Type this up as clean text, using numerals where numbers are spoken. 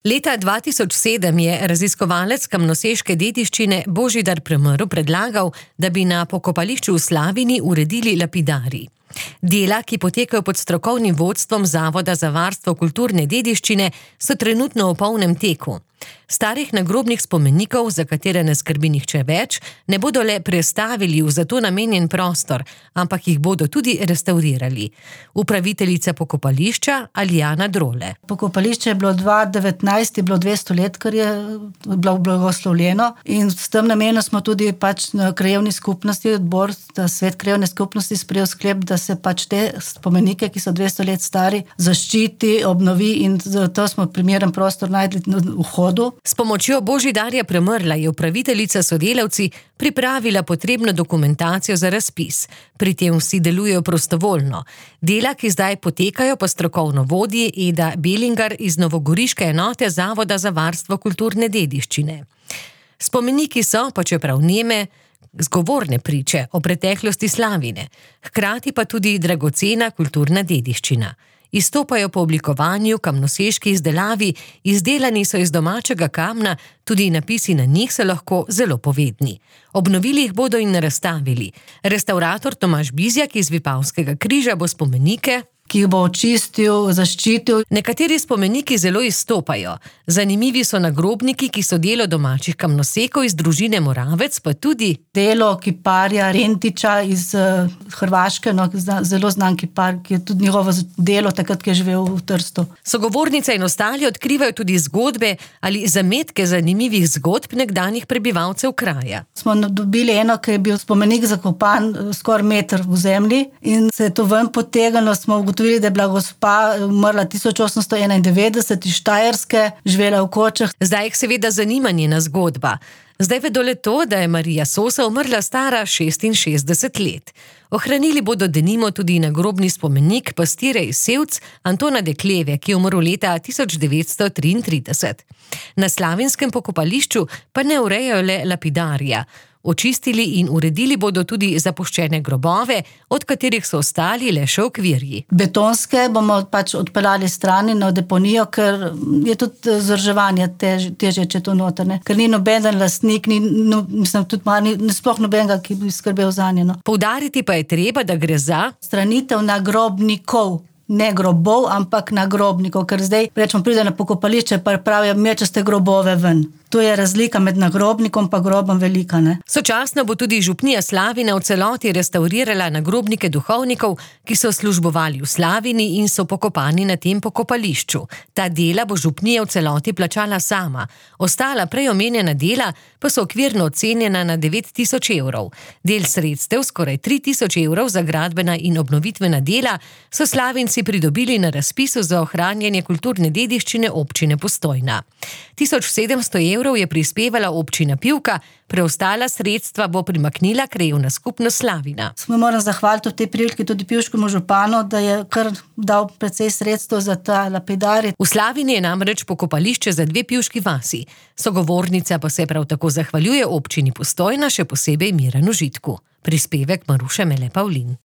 Leta 2007 je raziskovalec kamnoseške dediščine Božidar Premrl predlagal, da bi na pokopališču v Slavini uredili lapidarij. Dela, ki potekajo pod strokovnim vodstvom Zavoda za varstvo kulturne dediščine, so trenutno v polnem teku. Starih nagrobnih spomenikov, za katere ne skrbi nihče več, ne bodo le prestavili v za to namenjen prostor, ampak jih bodo tudi restavrirali. Upraviteljica pokopališča Alijana Drole. Pokopališče je bilo 2019, je bilo 200 let, kar je bilo blagoslovljeno, in s tem namenom smo tudi na krajevni skupnosti, odbor, svet krajevne skupnosti sprejel sklep, da se te spomenike, ki so 200 let stari, zaščiti, obnovi, in zato smo primeren prostor našli na vhodu. S pomočjo Božidarja Premrla je upraviteljica sodelavci pripravila potrebno dokumentacijo za razpis. Pri tem vsi delujejo prostovoljno. Dela, ki zdaj potekajo, pa strokovno vodi Eda Belingar iz novogoriške enote Zavoda za varstvo kulturne dediščine. Spomeniki so, pa čeprav neme, zgovorne priče o preteklosti Slavine, hkrati pa tudi dragocena kulturna dediščina. Izstopajo po oblikovanju, kamnoseški izdelavi, izdelani so iz domačega kamna, tudi napisi na njih so lahko zelo povedni. Obnovili jih bodo in razstavili. Restavrator Tomaž Bizjak iz Vipavskega križa bo spomenike, ki jih bo očistil, zaščitil. Nekateri spomeniki zelo izstopajo. Zanimivi so nagrobniki, ki so delo domačih kamnosekov iz družine Moravec, pa tudi delo kiparja Rentiča iz Hrvaške, zelo znan kipar, ki je tudi njegovo delo takrat, ki je živel v Trstu. Sogovornica in ostali odkrivajo tudi zgodbe ali zametke zanimivih zgodb nekdanjih prebivalcev kraja. Smo dobili eno, ki je bil spomenik zakopan skoraj meter v zemlji, in se je to ven potegnilo, smo ugotovili, da je bila gospa umrla 1891 iz Štajerske, živela v Kočah. Zdaj jih seveda zanima njena zgodba. Zdaj vedo le to, da je Marija Sosa umrla stara 66 let. Ohranili bodo denimo tudi nagrobni spomenik pastire iz Sevc Antona Dekleve, ki je umrl leta 1933. Na slavinskem pokopališču pa ne urejajo le lapidarija. Očistili in uredili bodo tudi zapuščene grobove, od katerih so ostali le še okvirji. Betonske bomo odpeljali strani na deponijo, ker je tudi vzdrževanje težje, če to noter, ker ni nobeden lastnik, sploh nobenega, ki bi skrbel zanje. Poudariti pa je treba, da gre za stranitev nagrobnikov. Ne grobov, ampak nagrobnikov, ker zdaj pride na pokopališče, pa pravijo, mečaste grobove ven. To je razlika med nagrobnikom pa grobom velika, ne? Sočasno bo tudi župnija Slavina v celoti restavrirala nagrobnike duhovnikov, ki so službovali v Slavini in so pokopani na tem pokopališču. Ta dela bo župnija v celoti plačala sama. Ostala prej omenjena dela pa so okvirno ocenjena na 9.000 evrov. Del sredstev, skoraj 3.000 evrov za gradbena in obnovitvena dela, so Slavinci pridobili na razpisu za ohranjanje kulturne dediščine občine Postojna. 1700 evrov je prispevala občina Pivka, preostala sredstva bo primaknila krajevna skupnost Slavina. Moram zahvaliti v tej priliki tudi pivškemu županu, da je kar dal precej sredstev za ta lapidarij. V Slavini je namreč pokopališče za 2 pivški vasi. Sogovornica pa se prav tako zahvaljuje občini Postojna, še posebej Miranu Žitku. Prispevek Maruše Mele Pavlin.